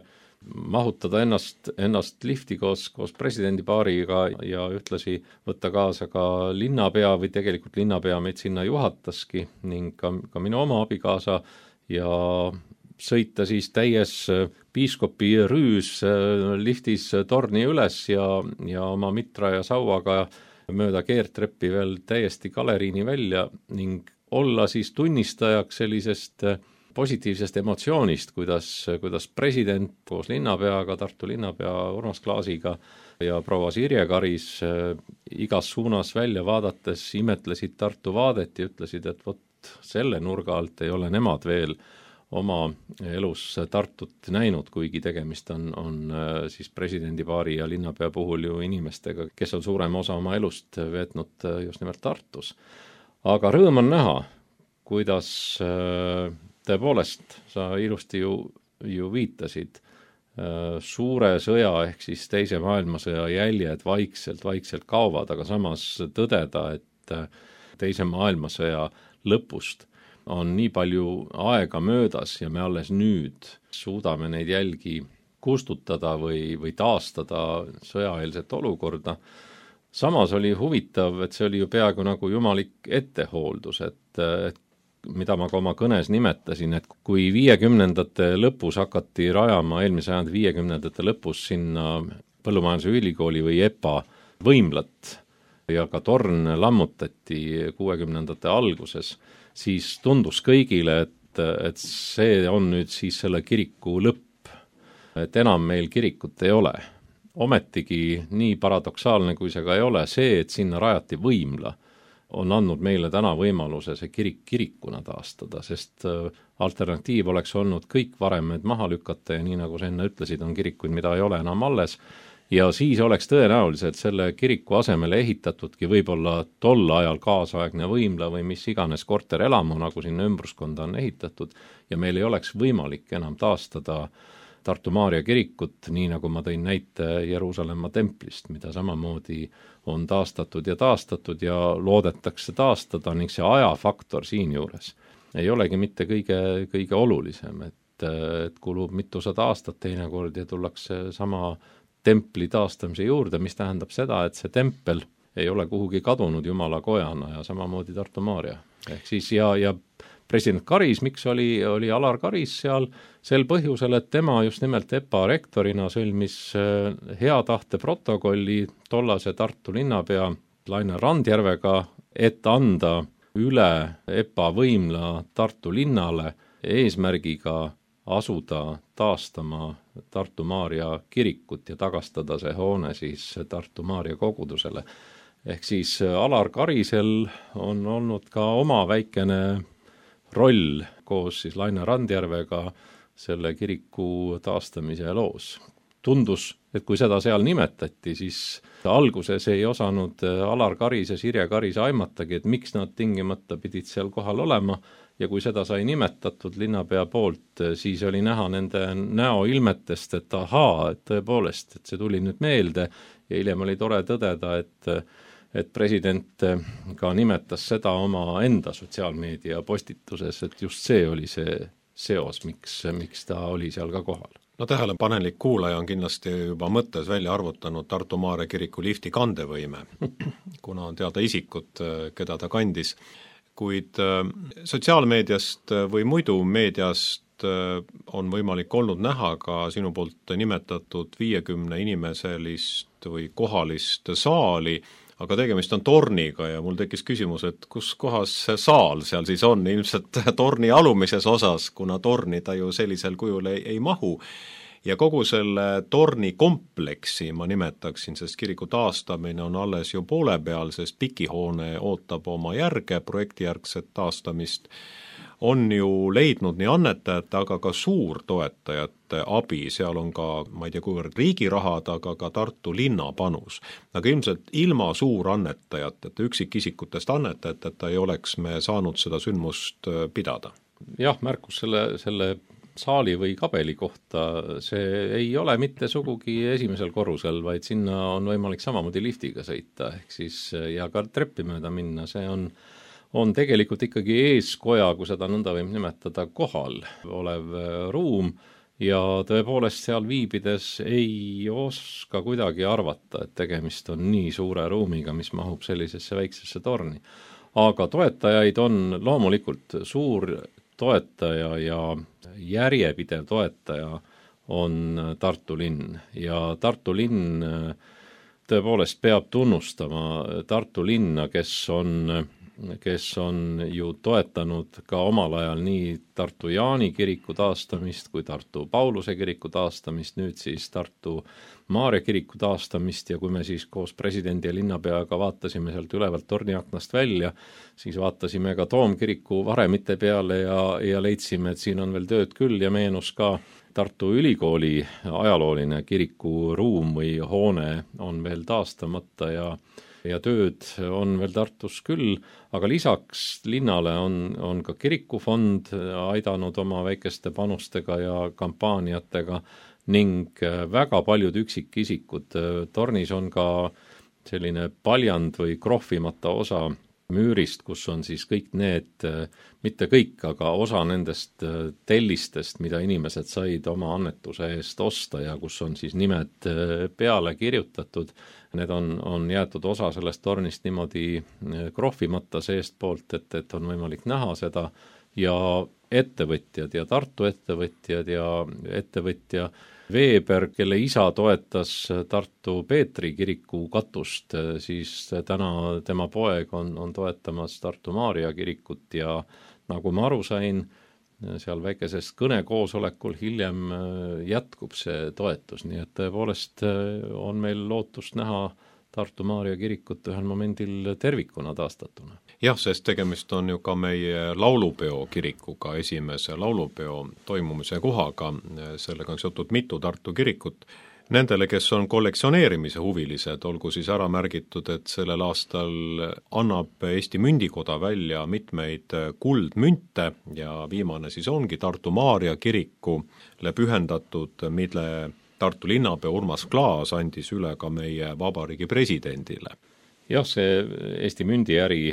mahutada ennast lifti koos presidendipaariga ja ühtlasi võtta kaasa ka linnapea või tegelikult linnapea meid sinna juhataski ning ka minu oma abikaasa ja sõita siis täies piiskopi rüüs liftis torni üles ja oma mitra ja sauaga mööda keertreppi veel täiesti galeriini välja ning olla siis tunnistajaks sellisest positiivsest emotsioonist, kuidas president koos linnapeaga, Tartu linnapea Urmas Klaasiga ja proua Sirje Karis igas suunas välja vaadates imetlesid Tartu vaadet ja ütlesid, et vot selle nurga alt ei ole nemad veel oma elus Tartut näinud, kuigi tegemist on siis presidendipaari ja linnapea puhul ju inimestega, kes on suurem osa oma elust veetnud just nimelt Tartus. Aga rõõm on näha, kuidas tõepoolest, sa ilusti ju viitasid, suure sõja ehk siis teise maailmasõja jäljed vaikselt kaovad, aga samas tõdeda, et teise maailmasõja lõpust on nii palju aega möödas ja me alles nüüd suudame neid jälgi kustutada või taastada sõjaeelset olukorda. Samas oli huvitav, et see oli ju peaaegu nagu jumalik ettehooldus, et mida ma ka oma kõnes nimetasin, et kui 50ndate lõpus hakati rajama eelmise sajandi 50ndate lõpus sinna Põllumajanduse Ülikooli või EPA võimlat ja ka torn lammutati 60ndate alguses, siis tundus kõigile, et see on nüüd siis selle kiriku lõpp, et enam meil kirikut ei ole. Ometigi nii paradoksaalne, kui see ka ei ole, see, et sinna rajati võimla, on andnud meile täna võimaluse see kirik kirikuna taastada, sest alternatiiv oleks olnud kõik varemed maha lükata ja nii nagu sa enne ütlesid, on kirikuid, mida ei ole enam alles ja siis oleks tõenäoliselt selle kiriku asemele ehitatudki võib-olla tol ajal kaasaegne võimla või mis iganes korterelamu, nagu sinna ümbruskonda on ehitatud ja meil ei oleks võimalik enam taastada Tartu Maarja kirikut, nii nagu ma tõin näite Jeruusalemma templist, mida samamoodi on taastatud ja loodetakse taastada ning see ajafaktor siinjuures ei olegi mitte kõige olulisem, et kulub mitusada aastat teinekord ja tullakse sama templi taastamise juurde, mis tähendab seda, et see tempel ei ole kuhugi kadunud Jumala kojana ja samamoodi Tartu Maarja. Ehk siis ja president Karis, miks oli Alar Karis seal? Sel põhjusel, et tema just nimelt EPA rektorina sõlmis hea tahte protokolli tollase Tartu linnapea Laine Randjärvega, et anda üle EPA võimla Tartu linnale eesmärgiga asuda taastama Tartu Maarja kirikut ja tagastada see hoone siis Tartu Maarja kogudusele. Ehk siis Alar Karisel on olnud ka oma väikene roll koos siis Laine Randjärvega selle kiriku taastamise loos. Tundus, et kui seda seal nimetati, siis alguses ei osanud Alar Karis ja Sirje Karis aimatagi, et miks nad tingimata pidid seal kohal olema, ja kui seda sai nimetatud linnapea poolt, siis oli näha nende näoilmetest, et ahaa, et tõepoolest, et see tuli nüüd meelde, ja hiljem oli tore tõdeda, et president ka nimetas seda oma enda sotsiaalmeedia postituses, et just see oli see seos, miks ta oli seal ka kohal. No tähelepanelik kuulaja on kindlasti juba mõttes välja arvutanud Tartu Maarja kiriku lifti kandevõime, kuna on teada isikut, keda ta kandis. Kuid sotsiaalmeediast või muidu meediast on võimalik olnud näha ka sinu poolt nimetatud 50 inimeselist või kohalist saali, aga tegemist on torniga ja mul tekkis küsimus, et kus kohas see saal seal siis on, ilmselt torni alumises osas, kuna torni ta ju sellisel kujul ei mahu. Ja kogu selle torni kompleksi ma nimetaksin, sest kiriku taastamine on alles ju poole peal, sest pikihoone ootab oma järge, projektijärgset taastamist, on ju leidnud nii annetajate, aga ka suurtoetajate abi, seal on ka, ma ei tea, kuivõrd riigi rahad, aga ka Tartu linna panus. Aga ilmselt ilma suurannetajateta, üksikisikutest annetajateta ei oleks me saanud seda sündmust pidada. Jah, märkus selle saali või kabeli kohta, see ei ole mitte sugugi esimesel korrusel, vaid sinna on võimalik samamoodi liftiga sõita, ehk siis ja ka treppi mööda minna, see on tegelikult ikkagi eeskoja, kui seda nõnda võib nimetada, kohal olev ruum ja tõepoolest seal viibides ei oska kuidagi arvata, et tegemist on nii suure ruumiga, mis mahub sellisesse väiksesse torni. Aga toetajaid on loomulikult suur toetaja ja järjepidev toetaja on Tartu linn ja Tartu linn tõepoolest peab tunnustama Tartu linna, kes on ju toetanud ka omal ajal nii Tartu Jaani kiriku taastamist kui Tartu Pauluse kiriku taastamist, nüüd siis Tartu Maarja kiriku taastamist ja kui me siis koos presidendi ja linnapeaga vaatasime sealt ülevalt torniaknast välja, siis vaatasime ka Toomkiriku varemite peale ja leidsime, et siin on veel tööd küll ja meenus ka Tartu Ülikooli ajalooline kirikuruum või hoone on veel taastamata ja tööd on veel Tartus küll, aga lisaks linnale on ka kirikufond aidanud oma väikeste panustega ja kampaaniatega ning väga paljud üksikisikud. Tornis on ka selline paljand või krohvimata osa müürist, kus on siis kõik need, mitte kõik, aga osa nendest tellistest, mida inimesed said oma annetuse eest osta ja kus on siis nimed peale kirjutatud. Need on jäetud osa sellest tornist niimoodi krohvimata seest poolt, et on võimalik näha seda ja ettevõtjad ja Tartu ettevõtjad ja ettevõtja Veeber, kelle isa toetas Tartu Peetri kiriku katust, siis täna tema poeg on toetamas Tartu Maarja kirikut ja nagu ma aru sain, seal väikesest kõnekoosolekul hiljem jätkub see toetus, nii et tõepoolest on meil lootust näha Tartu Maarja kirikut ühel momendil tervikuna taastatuna. Jah, sest tegemist on ju ka meie laulupeo kirikuga, esimese laulupeo toimumise kohaga, sellega on seotud mitu Tartu kirikut. Nendele, kes on kollektsioneerimise huvilised, olgu siis ära märgitud, et sellel aastal annab Eesti Mündikoda välja mitmeid kuldmünte ja viimane siis ongi Tartu Maarja kirikule pühendatud, mille Tartu linnapea Urmas Klaas andis üle ka meie vabariigi presidendile. Jah, see Eesti mündiäri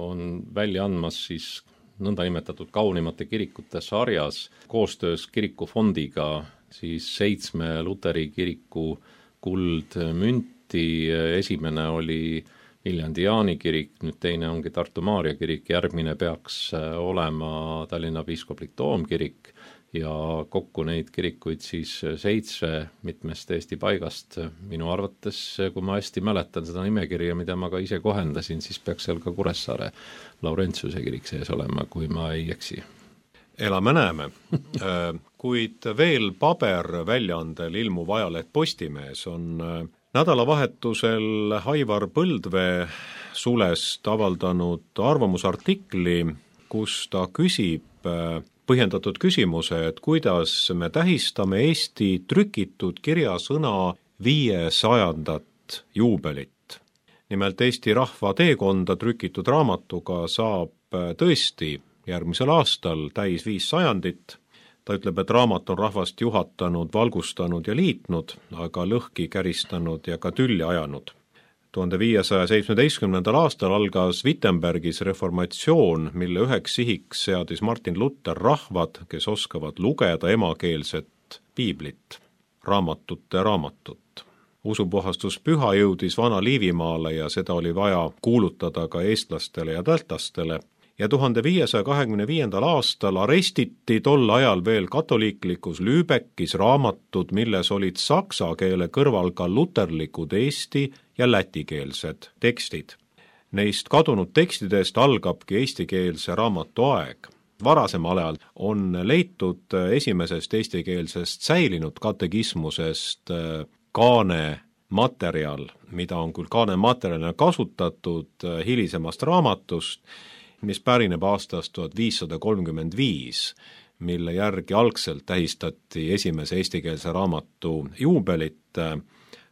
on välja andmas siis nõndanimetatud kaunimate kirikute sarjas koostöös kirikufondiga siis 7 Luteri kiriku kuldmünti. Esimene oli Viljandi Jaani kirik, nüüd teine ongi Tartu Maarja kirik, järgmine peaks olema Tallinna piiskoplik toomkirik ja kokku neid kirikuid siis 7 mitmest Eesti paigast. Minu arvates, kui ma hästi mäletan seda nimekirja, mida ma ka ise kohendasin, siis peaks seal ka Kuressaare Laurentiuse kirik sees olema, kui ma ei eksi. Elame-näeme. Kuid veel paberväljaandel ilmuv ajaleht Postimees on nädalavahetusel Aivar Põldvee sulest avaldanud arvamusartikli, kus ta küsib põhjendatud küsimuse, et kuidas me tähistame Eesti trükitud kirjasõna 500. juubelit. Nimelt Eesti rahva teekonda trükitud raamatuga saab tõesti järgmisel aastal täis 500. Ta ütleb, et raamat on rahvast juhatanud, valgustanud ja liitnud, aga lõhki käristanud ja ka tülli ajanud. 1517. aastal algas Wittenbergis reformatsioon, mille üheks sihiks seadis Martin Luther rahvad, kes oskavad lugeda emakeelset piiblit, raamatut. Usupuhastuspüha jõudis Vana-Liivimaale ja seda oli vaja kuulutada ka eestlastele ja taltlastele. Ja 1525. aastal arestiti tol ajal veel katoliiklikus Lübeckis raamatud, milles olid saksa keele kõrval ka luterlikud eesti ja lätikeelsed tekstid. Neist kadunud tekstidest algabki eestikeelse raamatu aeg. Varasemal ajal on leitud esimesest eestikeelsest säilinud katekismusest kaane materjal, mida on küll kaane materjalina kasutatud hilisemast raamatust, mis pärineb aastast 1535, mille järgi algselt tähistati esimese eestikeelse raamatu juubelit.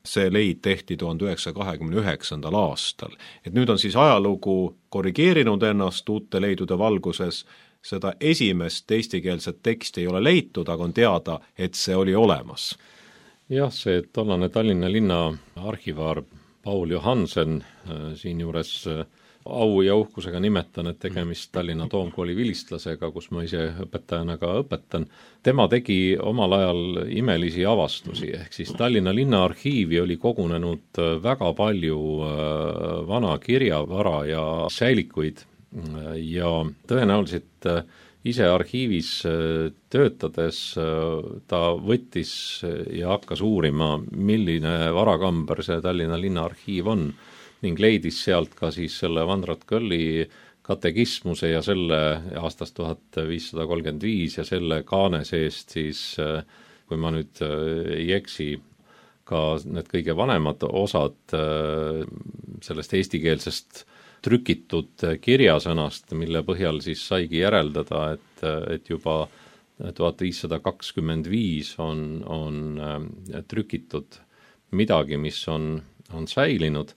See leid tehti 1929. aastal. Et nüüd on siis ajalugu korrigeerinud ennast uute leidude valguses, seda esimest eestikeelset teksti ei ole leitud, aga on teada, et see oli olemas. Jah, see tollane Tallinna linna arhivaar Paul Johansen siin juures au ja uhkusega nimetan, et tegemist Tallinna Toomkooli vilistlasega, kus ma ise õpetajana ka õpetan. Tema tegi omal ajal imelisi avastusi, ehk siis Tallinna linnaarhiivi oli kogunenud väga palju vana kirjavara ja säilikuid ja tõenäoliselt ise arhiivis töötades ta võttis ja hakkas uurima, milline varakamber see Tallinna linnaarhiiv on ning leidis sealt ka siis selle Vandrat Kõlli katekismuse ja selle aastast 1535 ja selle kaane seest siis, kui ma nüüd ei eksi, ka need kõige vanemad osad sellest eestikeelsest trükitud kirjasõnast, mille põhjal siis saigi järeldada, et juba 1525 on trükitud midagi, mis on säilinud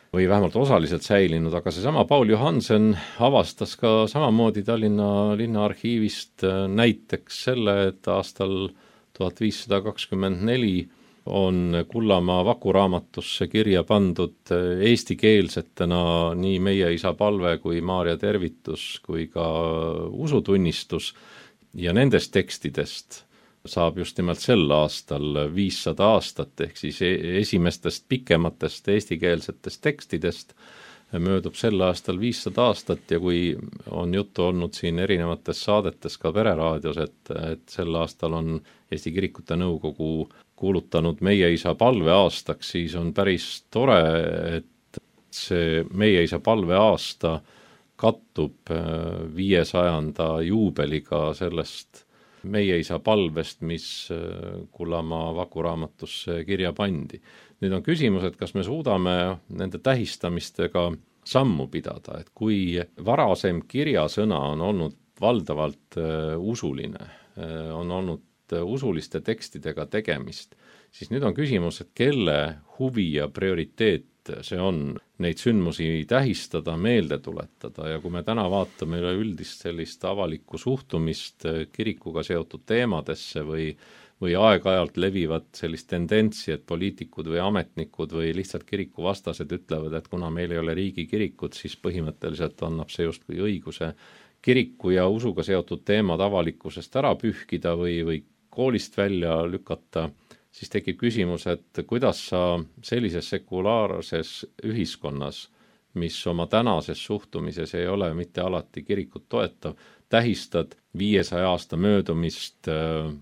või vähemalt osaliselt säilinud, aga seesama Paul Johansen avastas ka samamoodi Tallinna linnaarhiivist näiteks selle, et aastal 1524 on Kullamaa vakuraamatusse kirja pandud eestikeelsetena nii Meie isa palve kui Maarja tervitus kui ka usutunnistus ja nendest tekstidest saab just nimelt sel aastal 500 aastat, ehk siis esimestest pikematest eestikeelsetest tekstidest möödub sel aastal 500 aastat ja kui on juttu olnud siin erinevates saadetes ka Pereraadios, et sel aastal on Eesti Kirikute Nõukogu kuulutanud Meie isa palve aastaks, siis on päris tore, et see Meie isa palve aasta kattub 500. juubeliga sellest Meie isa palvest, mis Kullamaa vakuraamatusse kirja pandi. Nüüd on küsimus, et kas me suudame nende tähistamistega sammu pidada, et kui varasem kirjasõna on olnud valdavalt usuline, on olnud usuliste tekstidega tegemist, siis nüüd on küsimus, et kelle huvi ja prioriteet see on neid sündmusi tähistada, meelde tuletada ja kui me täna vaatame üleüldist sellist avalikku suhtumist kirikuga seotud teemadesse või aeg-ajalt levivad sellist tendentsi, et poliitikud või ametnikud või lihtsalt kirikuvastased ütlevad, et kuna meil ei ole riigikirikut, siis põhimõtteliselt annab see justkui õiguse kiriku ja usuga seotud teemad avalikkusest ära pühkida või koolist välja lükata, siis tekib küsimus, et kuidas sa sellises sekulaarses ühiskonnas, mis oma tänases suhtumises ei ole mitte alati kirikut toetav, tähistad 500 aasta möödumist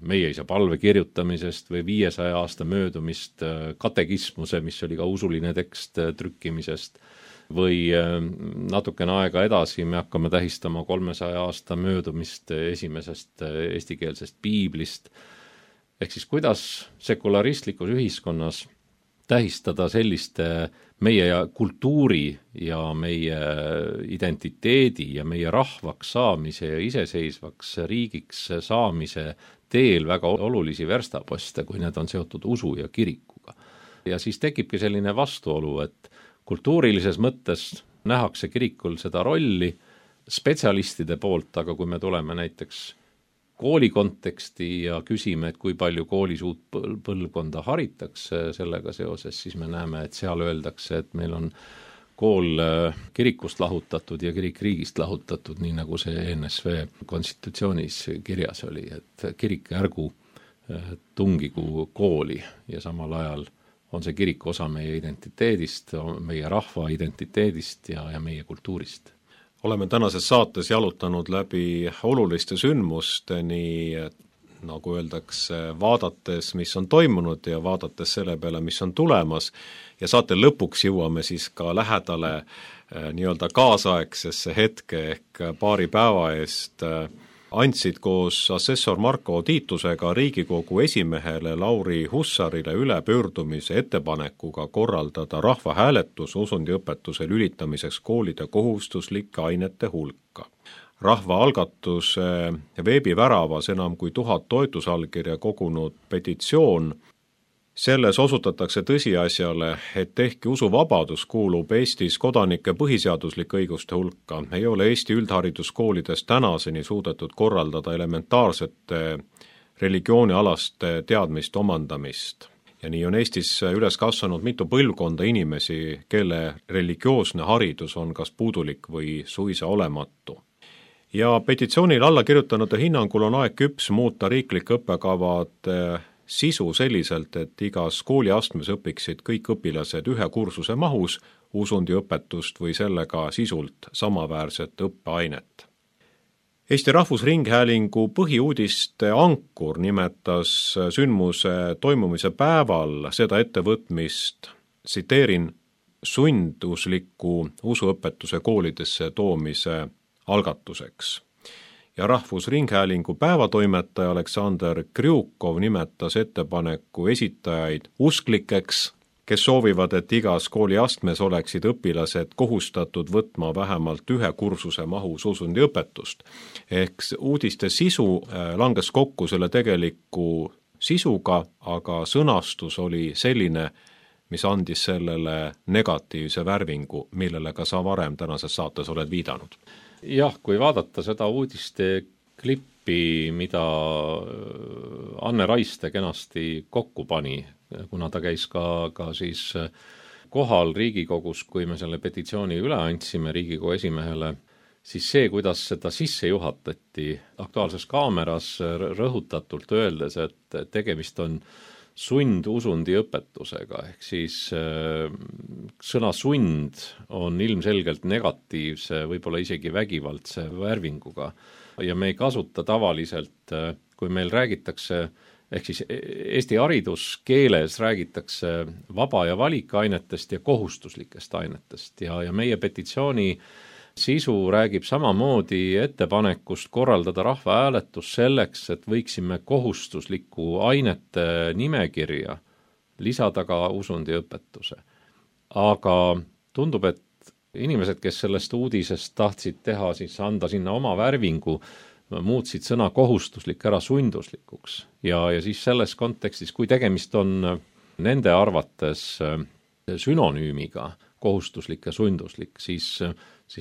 meie isa palve kirjutamisest või 500 aasta möödumist katekismuse, mis oli ka usuline tekst, trükkimisest, või natukene aega edasi me hakkame tähistama 300 aasta möödumist esimesest eestikeelsest piiblist. Ehk siis kuidas sekularistlikus ühiskonnas tähistada selliste meie kultuuri ja meie identiteedi ja meie rahvaks saamise ja iseseisvaks riigiks saamise teel väga olulisi verstaposte, kui need on seotud usu ja kirikuga. Ja siis tekibki selline vastuolu, et kultuurilises mõttes nähakse kirikul seda rolli spetsialistide poolt, aga kui me tuleme näiteks kooli konteksti ja küsime, et kui palju koolis uut põlvkonda haritakse sellega seoses, siis me näeme, et seal öeldakse, et meil on kool kirikust lahutatud ja kirik riigist lahutatud, nii nagu see NSV konstitutsioonis kirjas oli, et kirik ärgu tungigu kooli ja samal ajal on see kirik osa meie identiteedist, meie rahva identiteedist ja meie kultuurist. Oleme tänases saates jalutanud läbi oluliste sündmusteni, nagu öeldakse, vaadates, mis on toimunud ja vaadates selle peale, mis on tulemas ja saate lõpuks jõuame siis ka lähedale nii-öelda kaasaegsesse hetke ehk paari päeva eest andsid koos assessor Marko Tiitusega Riigikogu esimehele Lauri Hussarile üle pöördumise ettepanekuga korraldada rahvahääletus usundiõpetuse lülitamiseks koolide kohustuslike ainete hulka. Rahvaalgatuse veebiväravas enam kui 1000 toetusallkirja kogunud petitsioon. Selles osutatakse tõsiasjale, et ehkki usuvabadus kuulub Eestis kodanike põhiseaduslike õiguste hulka, ei ole Eesti üldhariduskoolides tänaseni suudetud korraldada elementaarsete religioonialaste teadmiste omandamist. Ja nii on Eestis üles kasvanud mitu põlvkonda inimesi, kelle religioosne haridus on kas puudulik või suisa olematu. Ja petitsioonil alla kirjutanute hinnangul on aeg küps muuta riiklike õppekavad sisu selliselt, et igas kooliastmes õpiksid kõik õpilased ühe kursuse mahus usundiõpetust või sellega sisult samaväärset õppeainet. Eesti Rahvusringhäälingu põhiuudiste ankur nimetas sündmuse toimumise päeval seda ettevõtmist, tsiteerin, sundusliku usuõpetuse koolidesse toomise algatuseks. Ja Rahvusringhäälingu päevatoimetaja Aleksander Kriukov nimetas ettepaneku esitajaid usklikeks, kes soovivad, et igas kooliastmes oleksid õpilased kohustatud võtma vähemalt ühe kursuse mahus usundiõpetust. Ehk uudiste sisu langes kokku selle tegeliku sisuga, aga sõnastus oli selline, mis andis sellele negatiivse värvingu, millele ka sa varem tänases saates oled viidanud. Jah, kui vaadata seda uudiste klippi, mida Anne Raiste kenasti kokku pani, kuna ta käis ka siis kohal Riigikogus, kui me selle petitsiooni üle andsime Riigikogu esimehele, siis see, kuidas seda sisse juhatati Aktuaalses Kaameras rõhutatult öeldes, et tegemist on sundusundiõpetusega, ehk siis sõna sund on ilmselgelt negatiivse, võib-olla isegi vägivaldse värvinguga ja me ei kasuta tavaliselt, kui meil räägitakse, ehk siis Eesti hariduskeeles räägitakse vaba- ja valikainetest ja kohustuslikest ainetest ja meie petitsiooni sisu räägib samamoodi ettepanekust korraldada rahvahääletus selleks, et võiksime kohustusliku ainete nimekirja lisada ka usundiõpetuse. Aga tundub, et inimesed, kes sellest uudisest tahtsid teha, siis anda sinna oma värvingu, muutsid sõna kohustuslik ära sunduslikuks ja siis selles kontekstis, kui tegemist on nende arvates sünonüümiga kohustuslik ja sunduslik, siis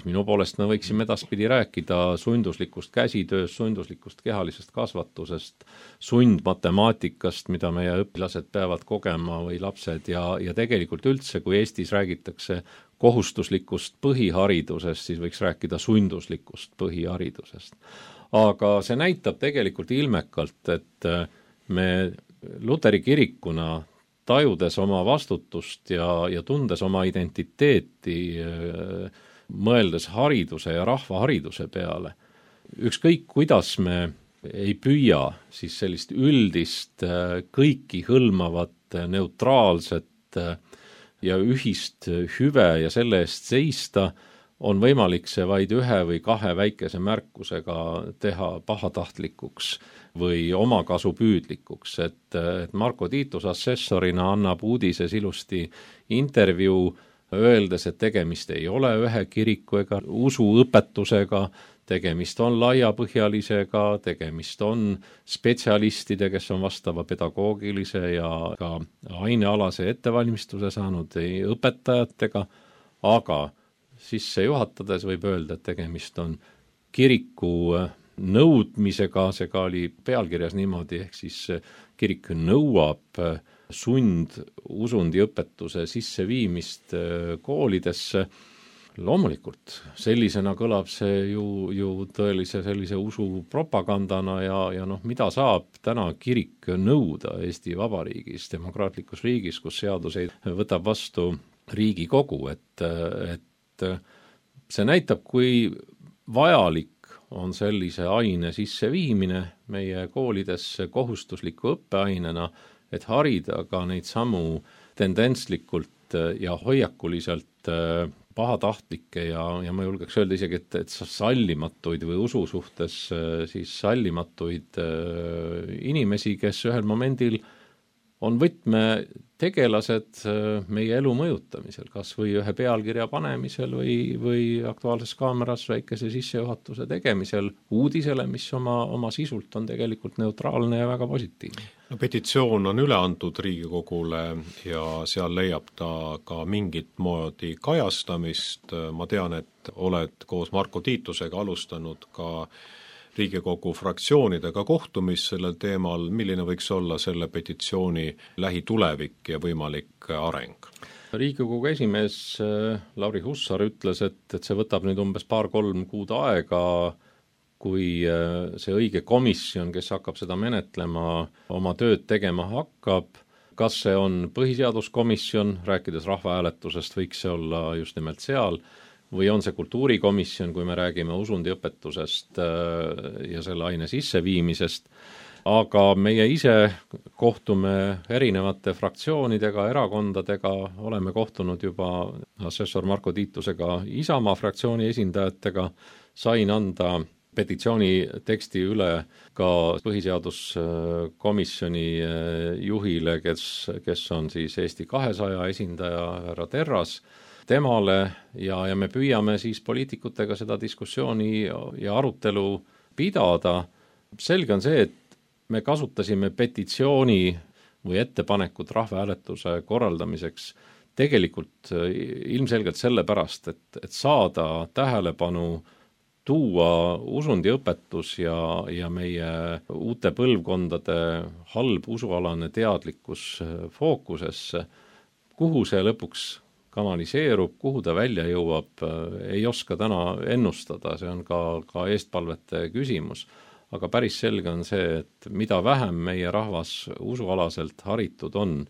minu poolest me võiksime edaspidi rääkida sunduslikust käsitööst, sunduslikust kehalisest kasvatusest, sundmatemaatikast, mida meie õpilased peavad kogema või lapsed ja tegelikult üldse, kui Eestis räägitakse kohustuslikust põhiharidusest, siis võiks rääkida sunduslikust põhiharidusest. Aga see näitab tegelikult ilmekalt, et me Luteri kirikuna tajudes oma vastutust ja tundes oma identiteeti, mõeldes hariduse ja rahvahariduse peale, ükskõik kuidas me ei püüa siis sellist üldist, kõiki hõlmavat, neutraalset ja ühist hüve ja selle eest seista, on võimalik see vaid ühe või kahe väikese märkusega teha pahatahtlikuks või omakasupüüdlikuks, et Marko Tiitus assessorina annab uudises ilusti intervjuu, öeldes, et tegemist ei ole ühe kiriku ega usuõpetusega, tegemist on laiapõhjalisega, tegemist on spetsialistide, kes on vastava pedagoogilise ja ka ainealase ettevalmistuse saanud õpetajatega, aga sisse juhatades võib öelda, et tegemist on kiriku nõudmisega, see ka oli pealkirjas niimoodi, ehk siis kirik nõuab usundiõpetuse sisseviimist koolidesse. Loomulikult, sellisena kõlab see ju tõelise sellise usupropagandana ja mida saab täna kirik nõuda Eesti Vabariigis, demokraatlikus riigis, kus seaduseid võtab vastu Riigikogu, et see näitab, kui vajalik on sellise aine sisseviimine meie koolidesse kohustusliku õppeainena, et harida ka neid samu tendentslikult ja hoiakuliselt pahatahtlikke ja ma julgeks öelda isegi, et sallimatuid või usu suhtes siis sallimatuid inimesi, kes ühel momendil on võtmetegelased meie elu mõjutamisel, kas või ühe pealkirja panemisel või Aktuaalses Kaameras väikese sissejuhatuse tegemisel uudisele, mis oma sisult on tegelikult neutraalne ja väga positiivne. No, petitsioon on üle antud Riigikogule ja seal leiab ta ka mingit moodi kajastamist. Ma tean, et oled koos Marko Tiitusega alustanud ka Riigikogu fraktsioonidega kohtumist sellel teemal, milline võiks olla selle petitsiooni lähitulevik ja võimalik areng? Riigikogu esimees Lauri Hussar ütles, et see võtab nüüd umbes 2-3 kuud aega, kui see õige komisjon, kes hakkab seda menetlema, oma tööd tegema hakkab. Kas see on põhiseaduskomisjon, rääkides rahvahääletusest, võiks see olla just nimelt seal, või on see kultuurikomisjon, kui me räägime usundiõpetusest ja selle aine sisseviimisest, aga meie ise kohtume erinevate fraktsioonidega, erakondadega, oleme kohtunud juba assessor Marko Tiitusega Isamaa fraktsiooni esindajatega, sain anda petitsiooni teksti üle ka põhiseaduskomisjoni juhile, kes on siis Eesti 200 esindaja härra Terras, temale ja me püüame siis poliitikutega seda diskussiooni ja arutelu pidada. Selge on see, et me kasutasime petitsiooni või ettepanekut rahvahääletuse korraldamiseks tegelikult ilmselgelt sellepärast, et saada tähelepanu, tuua usundiõpetus ja meie uute põlvkondade halb usualane teadlikkus fookusesse, kuhu see lõpuks kanaliseerub, kuhu ta välja jõuab, ei oska täna ennustada, see on ka eestpalvete küsimus. Aga päris selge on see, et mida vähem meie rahvas usualaselt haritud on,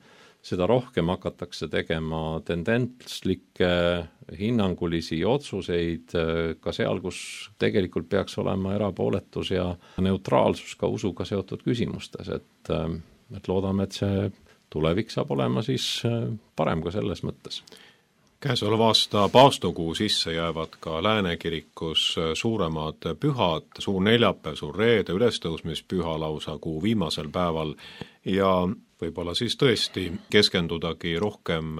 seda rohkem hakatakse tegema tendentslikke hinnangulisi otsuseid ka seal, kus tegelikult peaks olema erapooletus ja neutraalsus ka usuga seotud küsimustes, et loodame, et see tulevik saab olema siis parem ka selles mõttes. Käesoleva aasta paastokuu sisse jäävad ka Lääne kirikus suuremad pühad, suur neljapäev, suur reede, ülestõusmispüha lausa kuu viimasel päeval ja võib-olla siis tõesti keskendudagi rohkem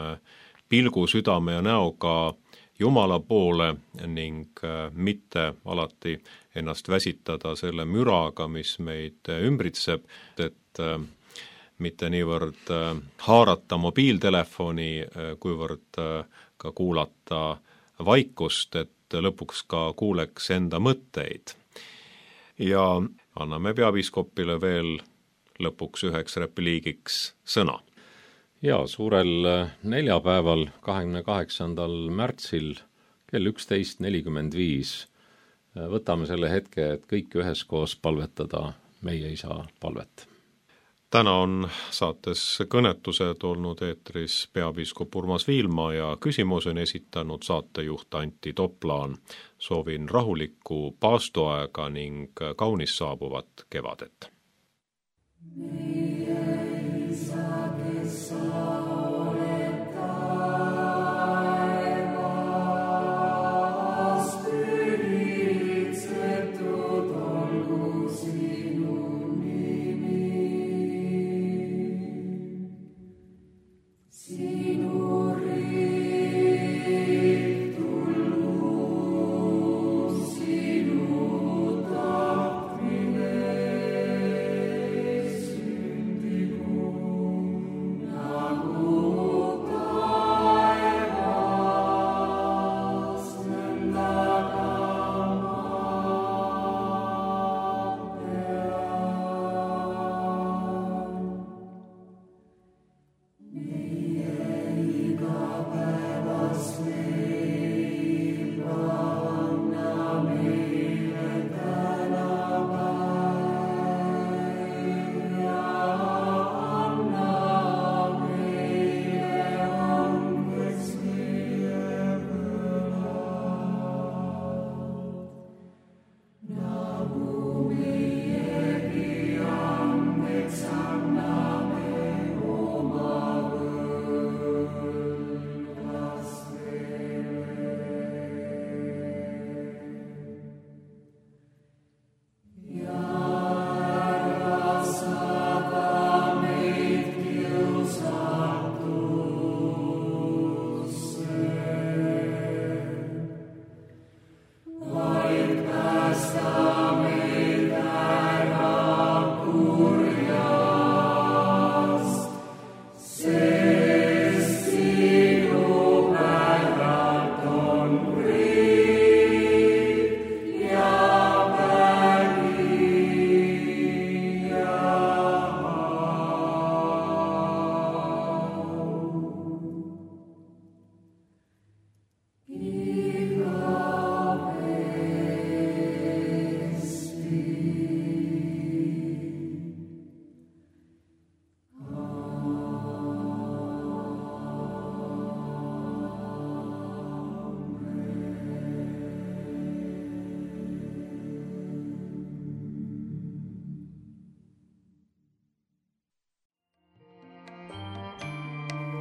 pilgu, südame ja näoga Jumala poole ning mitte alati ennast väsitada selle müraga, mis meid ümbritseb, et mitte niivõrd haarata mobiiltelefoni, kuivõrd ka kuulata vaikust, et lõpuks ka kuuleks enda mõtteid. Ja anname peapiiskopile veel lõpuks üheks repliigiks sõna. Ja suurel neljapäeval, 28. märtsil kell 11.45 võtame selle hetke, et kõik üheskoos palvetada meie isa palvet. Täna on saates Kõnetused olnud eetris peapiiskop Urmas Viilma ja küsimus on esitanud saatejuht Antti Toplaan. Soovin rahulikku paastoaega ning kaunis saabuvat kevadet.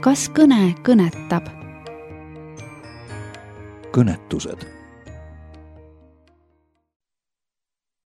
Kas kõne kõnetab? Kõnetused